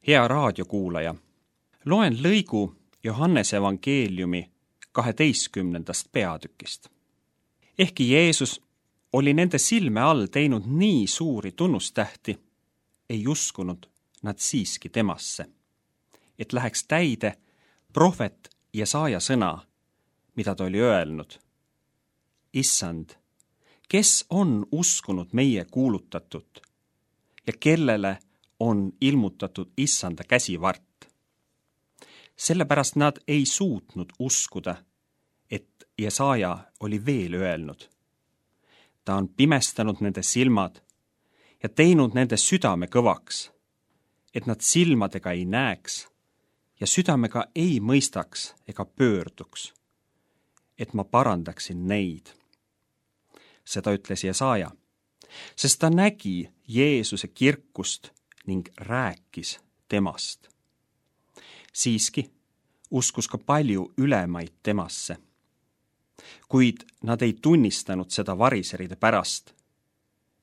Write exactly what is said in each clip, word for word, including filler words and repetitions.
Hea raadiokuulaja, loen lõigu Johannese evangeeliumi kaheteistkümnendast peatükist. Ehkki Jeesus oli nende silme all teinud nii suuri tunnustähti, ei uskunud nad siiski temasse, et läheks täide prohvet Jesaja sõna, mida ta oli öelnud. Issand, kes on uskunud meie kuulutatut ja kellele on ilmutatud Issanda käsivart? Sellepärast nad ei suutnud uskuda, et Jesaja oli veel öelnud. Ta on pimestanud nende silmad ja teinud nende südame kõvaks, et nad silmadega ei näeks ja südamega ei mõistaks ega pöörduks, et ma parandaksin neid. Seda ütles Jesaja, sest ta nägi Jeesuse kirkust ning rääkis temast. Siiski uskus ka palju ülemaid temasse, kuid nad ei tunnistanud seda variseride pärast,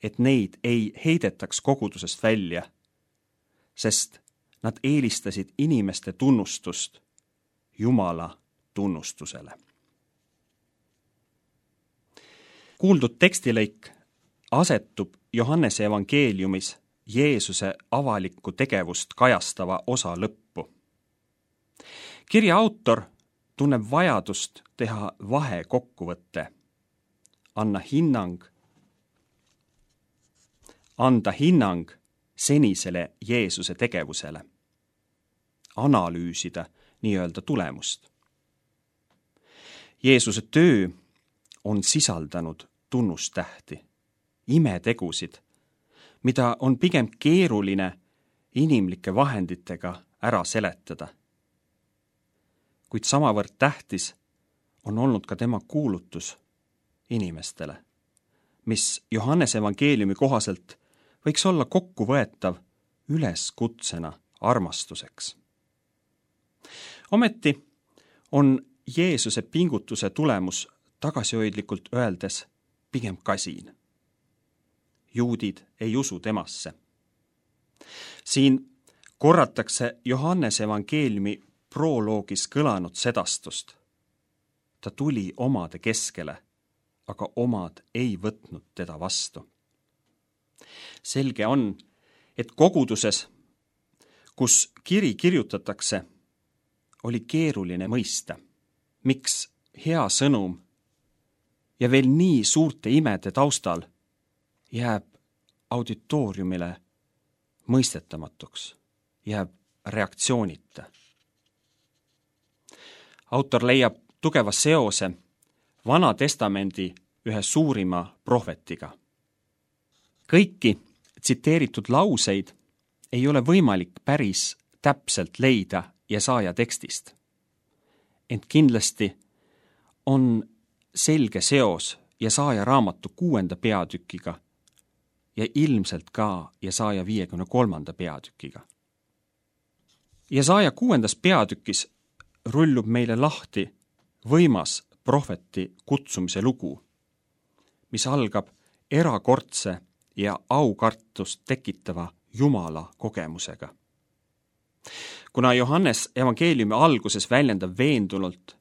et neid ei heidetaks kogudusest välja, sest nad eelistasid inimeste tunnustust Jumala tunnustusele. Kuuldud tekstilõik asetub Johannese evangeeliumis Jeesuse avalikku tegevust kajastava osa lõppu. Kirja autor tunneb vajadust teha vahekokkuvõte, anna hinnang, anda hinnang senisele Jeesuse tegevusele, analüüsida nii-öelda tulemust. Jeesuse töö on sisaldanud tunnustähti, imetegusid, mida on pigem keeruline inimlike vahenditega ära seletada. Kuid samavõrd tähtis on olnud ka tema kuulutus inimestele, mis Johannese evangeeliumi kohaselt võiks olla kokkuvõetav üleskutsena armastuseks. Ometi on Jeesuse pingutuse tulemus tagasihoidlikult öeldes pigem kasin. Juudid ei usu temasse. Siin korratakse Johannese evangeeliumi proloogis kõlanud sedastust. Ta tuli omade keskele, aga omad ei võtnud teda vastu. Selge on, et koguduses, kus kiri kirjutatakse, oli keeruline mõista, miks hea sõnum ja veel nii suurte imede taustal jääb auditooriumile mõistetamatuks, jääb reaktsioonita. Autor leiab tugeva seose Vana Testamendi ühe suurima prohvetiga. Kõiki tsiteeritud lauseid ei ole võimalik päris täpselt leida Jesaja tekstist. Ent kindlasti on selge seos Jesaja raamatu kuuenda peatükiga ja ilmselt ka Jesaja viiekümne kolmanda peatükiga. Jesaja kuuendas peatükis rullub meile lahti võimas prohveti kutsumise lugu, mis algab erakordse ja aukartust tekitava Jumala kogemusega. Kuna Johannes evangeeliumi alguses väljendab veendunult,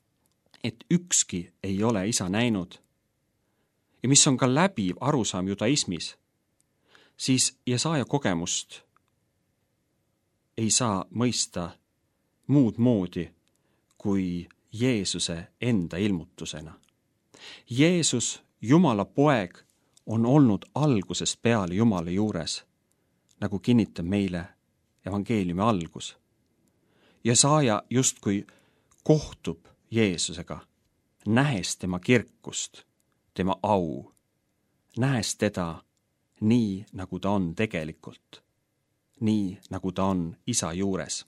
et ükski ei ole isa näinud ja mis on ka läbiv arusaam judaismis, siis Jesaja kogemust ei saa mõista muud moodi kui Jeesuse enda ilmutusena. Jeesus, Jumala poeg, on olnud algusest peale Jumala juures, nagu kinnitab meile evangeeliumi algus. Jesaja justkui kohtub Jeesusega, nähes tema kirkust, tema au, nähes teda nii, nagu ta on tegelikult, nii, nagu ta on isa juures.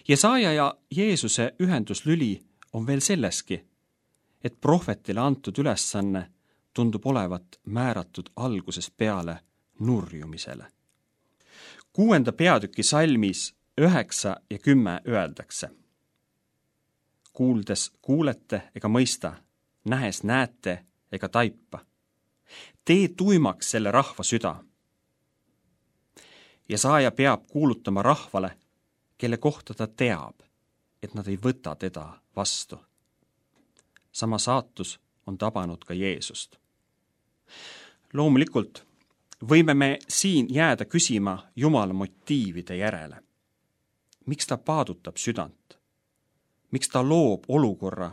Jesaja ja Jeesuse ühenduslüli on veel selleski, et prohvetile antud ülesanne tundub olevat määratud algusest peale nurjumisele. Kuuenda peatüki salmis üheksa ja kümme öeldakse. Kuuldes kuulete ega mõista, nähes näete ega taipa. Tee tuimaks selle rahva süda. Jesaja peab kuulutama rahvale, kelle kohta ta teab, et nad ei võta teda vastu. Sama saatus on tabanud ka Jeesust. Loomulikult võime me siin jääda küsima Jumala motiivide järele. Miks ta paadutab südant? Miks ta loob olukorra,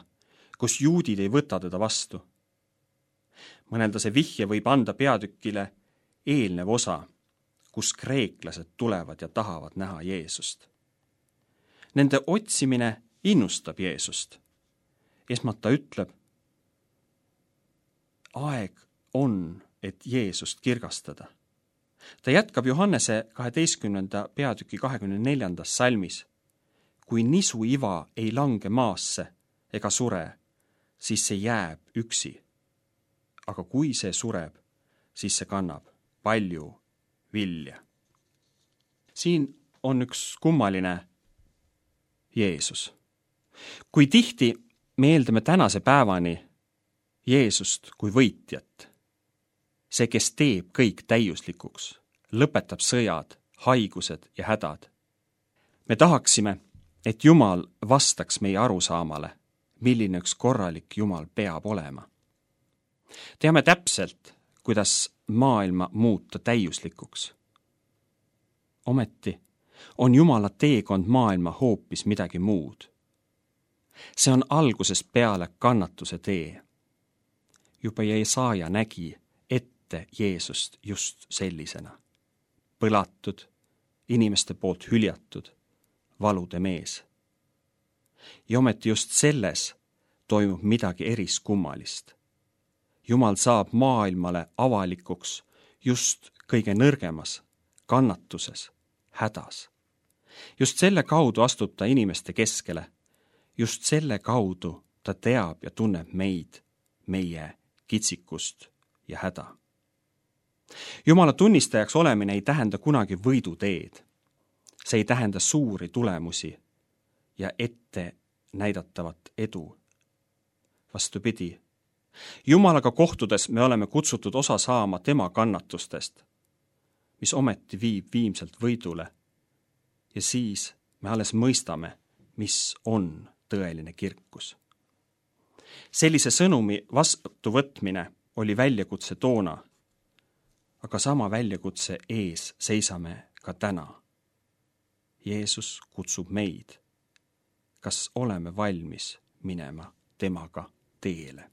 kus juudid ei võta teda vastu? Mõnelda see vihje võib anda peatükile eelnev osa, kus kreeklased tulevad ja tahavad näha Jeesust. Nende otsimine innustab Jeesust. Esmalt ta ütleb, aeg on, et Jeesust kirgastada. Ta jätkab Johannese kaheteistkümnenda peatüki kahekümne neljandas salmis. Kui nisu iva ei lange maasse ega sure, siis see jääb üksi. Aga kui see sureb, siis see kannab palju vilja. Siin on üks kummaline Jeesus. Kui tihti me eeldame tänase päevani Jeesust kui võitjat, see, kes teeb kõik täiuslikuks, lõpetab sõjad, haigused ja hädad. Me tahaksime, et Jumal vastaks meie arusaamale, milline üks korralik Jumal peab olema. Teame täpselt, kuidas maailma muuta täiuslikuks. Ometi on Jumala teekond maailma hoopis midagi muud. See on algusest peale kannatuse tee. Juba Jesaja nägi ette Jeesust just sellisena. Põlatud, inimeste poolt hüljatud, valude mees. Ja ometi just selles toimub midagi eriskummalist. Jumal saab maailmale avalikuks just kõige nõrgemas, kannatuses, hädas. Just selle kaudu astub ta inimeste keskele. Just selle kaudu ta teab ja tunneb meid, meie kitsikust ja häda. Jumala tunnistajaks olemine ei tähenda kunagi võiduteed. See ei tähenda suuri tulemusi ja ette näidatavat edu. Vastupidi, Jumalaga kohtudes me oleme kutsutud osa saama tema kannatustest, mis ometi viib viimselt võidule. Ja siis me alles mõistame, mis on tõeline kirkus. Sellise sõnumi vastuvõtmine oli väljakutse toona, aga sama väljakutse ees seisame ka täna. Jeesus kutsub meid. Kas oleme valmis minema temaga teele?